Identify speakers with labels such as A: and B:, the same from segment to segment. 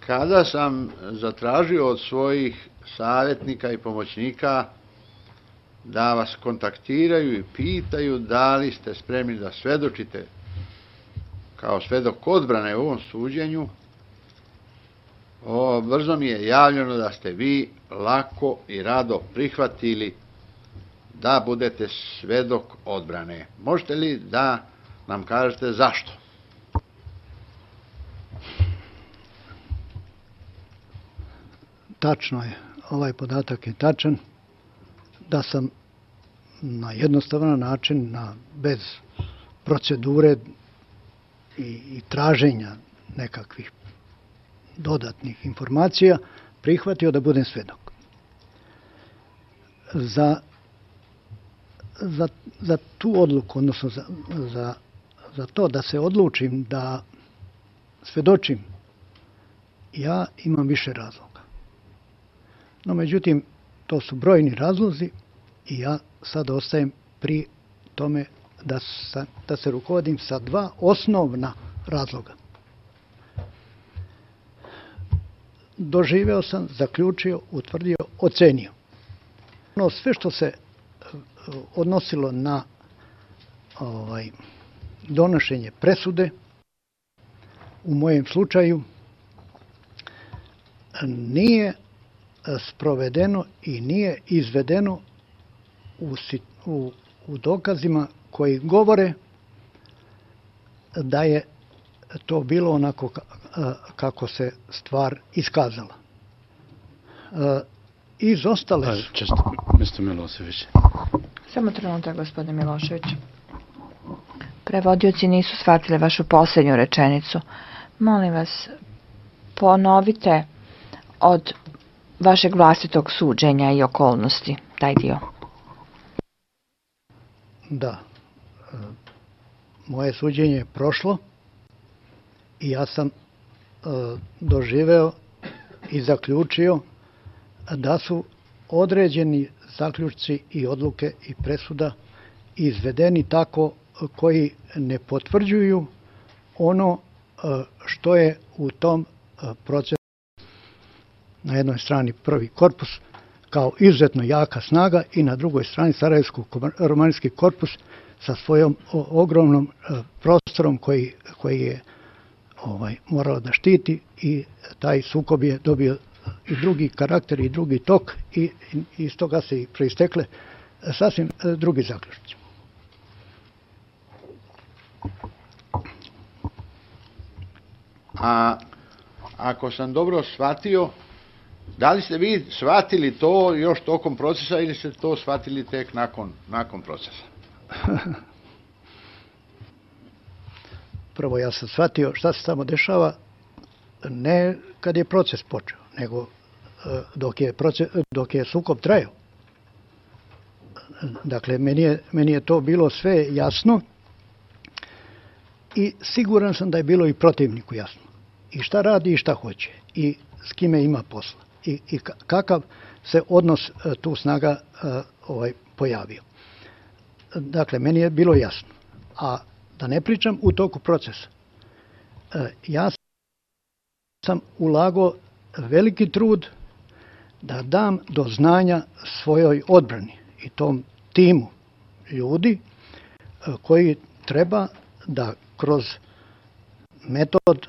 A: Kada sam zatražio od svojih savjetnika i pomoćnika da vas kontaktiraju i pitaju da li ste spremni da svedočite kao svedok odbrane u ovom suđenju, brzo mi je javljeno da ste vi lako i rado prihvatili da budete svedok odbrane. Možete li da nam kažete zašto?
B: Tačno je, ovaj podatak je tačan, da sam na jednostavan način, bez procedure i traženja nekakvih dodatnih informacija, prihvatio da budem svedok. Za tu odluku, odnosno za to da se odlučim da svedočim, ja imam više razloga. No, međutim, to su brojni razlozi i ja sad ostajem pri tome da se rukovodim sa dva osnovna razloga. Doživeo sam, zaključio, utvrdio, ocenio. Sve što se odnosilo na donošenje presude, u mojem slučaju, nije sprovedeno i nije izvedeno u dokazima koji govore da je to bilo onako kako se stvar iskazala. Izostale su...
C: Mr. Milošević.
D: Samo trenutak, gospodine Milošević. Prevodioci nisu shvatili vašu poslednju rečenicu. Molim vas, ponovite od vašeg vlastitog suđenja i okolnosti, taj dio.
B: Da. Moje suđenje je prošlo i ja sam doživeo i zaključio da su određeni zaključci i odluke i presuda izvedeni tako koji ne potvrđuju ono što je u tom procesu. Na jednoj strani prvi korpus kao izuzetno jaka snaga i na drugoj strani Sarajevsko-romanijski korpus sa svojom ogromnom prostorom koji je morao da štiti, i taj sukob je dobio i drugi karakter i drugi tok i iz toga se i proistekle sasvim drugi zaključci.
A: A ako sam dobro shvatio, da li ste vi shvatili to još tokom procesa ili ste to shvatili tek nakon procesa?
B: Prvo, ja sam shvatio šta se tamo dešava ne kad je proces počeo, nego dok je sukob trajao. Dakle, meni je to bilo sve jasno i siguran sam da je bilo i protivniku jasno. I šta radi i šta hoće i s kime ima posla i kakav se odnos tu snaga pojavio. Dakle, meni je bilo jasno. A da ne pričam u toku procesa. Ja sam ulagao veliki trud da dam do znanja svojoj odbrani i tom timu ljudi koji treba da kroz metod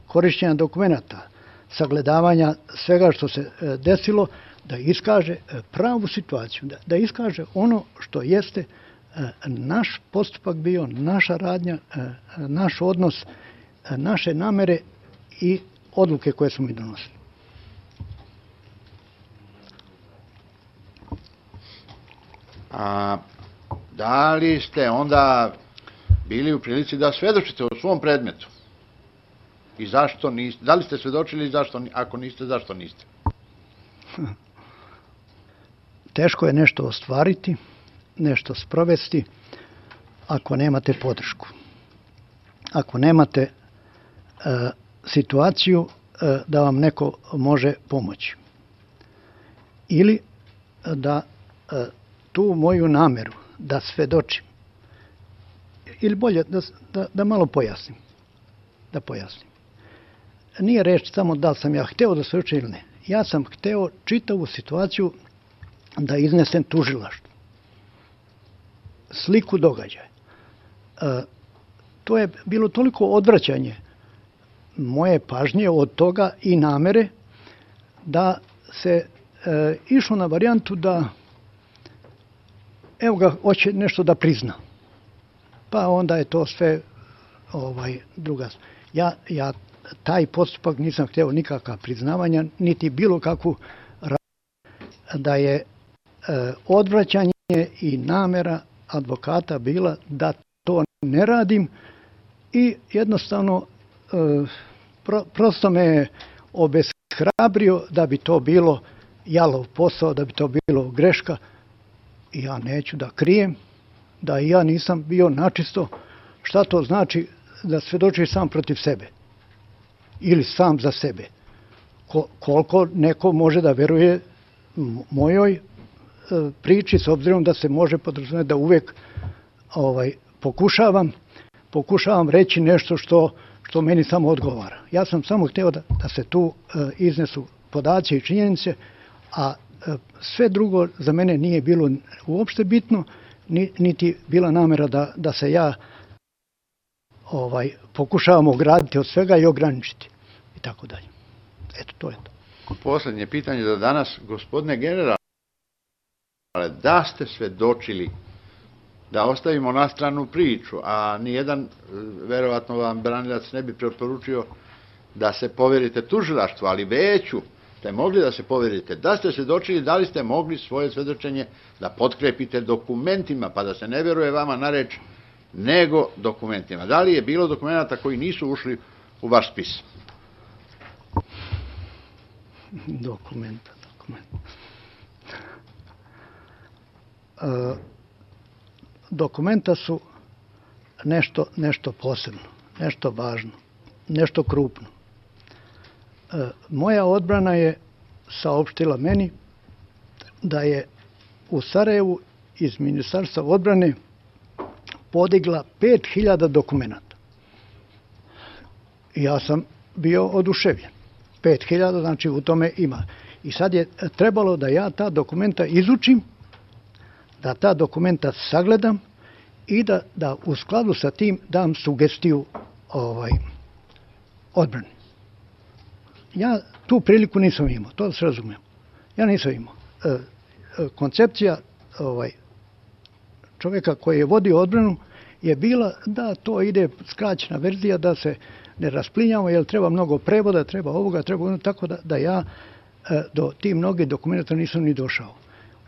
B: korišćenja dokumenata, sagledavanja svega što se desilo, da iskaže pravu situaciju, da iskaže ono što jeste naš postupak bio, naša radnja, naš odnos, naše namere i odluke koje smo mi donosili.
A: A da li ste onda bili u prilici da svedočite u svom predmetu? I zašto niste? Da li ste svedočili i zašto, ako niste, zašto niste?
B: Teško je nešto ostvariti, nešto sprovesti ako nemate podršku. Ako nemate situaciju da vam neko može pomoći. Ili da tu moju nameru da svedočim, ili bolje da malo pojasnim. nije reč samo da li sam ja hteo da svedočim ili ne. Ja sam hteo čitavu situaciju da iznesem tužilaštvu. Sliku događaja. To je bilo toliko odvraćanje moje pažnje od toga i namere da se išlo na varijantu da evo ga, hoće nešto da prizna. Pa onda je to sve druga. Ja taj postupak nisam hteo nikakva priznavanja, niti bilo kakvu da je odvraćanje i namera advokata bila da to ne radim i jednostavno prosto me obeshrabrio da bi to bilo jalov posao, da bi to bilo greška. I ja neću da krijem da i ja nisam bio načisto šta to znači da svedočiš sam protiv sebe ili sam za sebe. Koliko neko može da veruje mojoj priči, s obzirom da se može podrazumeti da uvek pokušavam reći nešto što meni samo odgovara. Ja sam samo hteo da se tu iznesu podaci i činjenice, a sve drugo za mene nije bilo uopšte bitno, niti bila namera da se ja pokušavam ograditi od svega i ograničiti i tako dalje. Eto, to je to.
A: Poslednje pitanje za danas, gospodine generale, da ste svedočili, da ostavimo na stranu priču, a nijedan, verovatno vam branilac ne bi preporučio da se poverite tužilaštvu, ali veću ste mogli da se poverite. Da ste svedočili, da li ste mogli svoje svedočenje da potkrepite dokumentima, pa da se ne veruje vama na reč, nego dokumentima. Da li je bilo dokumenta koji nisu ušli u vaš spis?
B: Dokumenta. Dokumenta su nešto posebno, nešto važno, nešto krupno. Moja odbrana je saopštila meni da je u Sarajevu iz Ministarstva odbrane podigla 5000 dokumenta. Ja sam bio oduševljen. 5000, znači u tome ima. I sad je trebalo da ja ta dokumenta izučim, da ta dokumenta sagledam i da u skladu sa tim dam sugestiju odbrani. Ja tu priliku nisam imao, to da se razumijem. Ja nisam imao. Koncepcija čovjeka koji je vodio odbranu je bila da to ide skraćena verzija, da se ne rasplinjamo, jer treba mnogo prevoda, treba ovoga, treba ono, tako da ja do tih mnogih dokumenta nisam ni došao.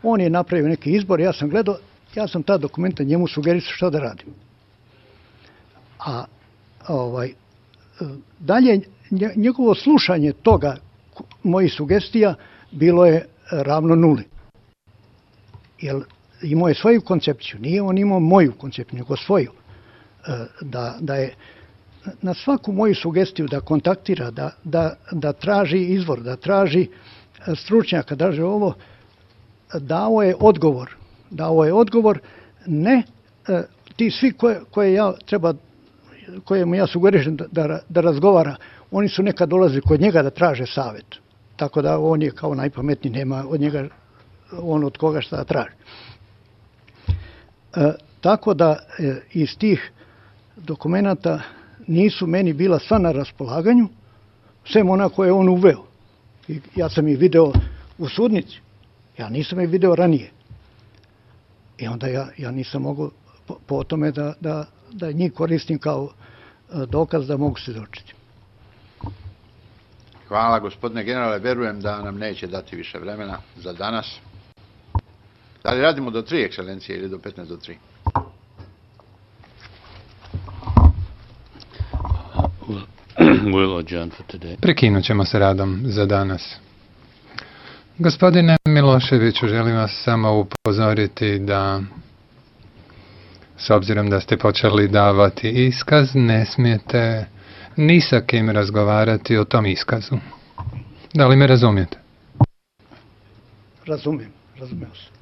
B: On je napravio neki izbor, ja sam gledao, ja sam ta dokumenta njemu sugerisao šta da radim. A dalje, njegovo slušanje toga, mojih sugestija, bilo je ravno nuli. Jer imao je svoju koncepciju, nije on imao moju koncepciju, nego svoju. Da je na svaku moju sugestiju da kontaktira, da traži izvor, da traži stručnjaka, da traži ovo, dao je odgovor, ne ti svi kojemu ja sugerišem da razgovara, oni su nekad dolazili kod njega da traže savjet. Tako da on je kao najpametniji, nema od njega on od koga šta da traži. Tako da iz tih dokumenta nisu meni bila sva na raspolaganju, sem ona koje je on uveo. Ja sam ih video u sudnici, ja nisam ih video ranije. I onda ja nisam mogao po tome da njih koristim kao dokaz da mogu svjedočiti.
A: Hvala, gospodine generale, verujem da nam neće dati više vremena za danas. Da li radimo do 3, ekscelencije, ili do 15 do 3?
C: Prekinut ćemo se radom za danas. Gospodine Miloševiću, želim vas samo upozoriti da, s obzirom da ste počeli davati iskaz, ne smijete ni sa kim razgovarati o tom iskazu. Da li me razumijete?
B: Razumio se.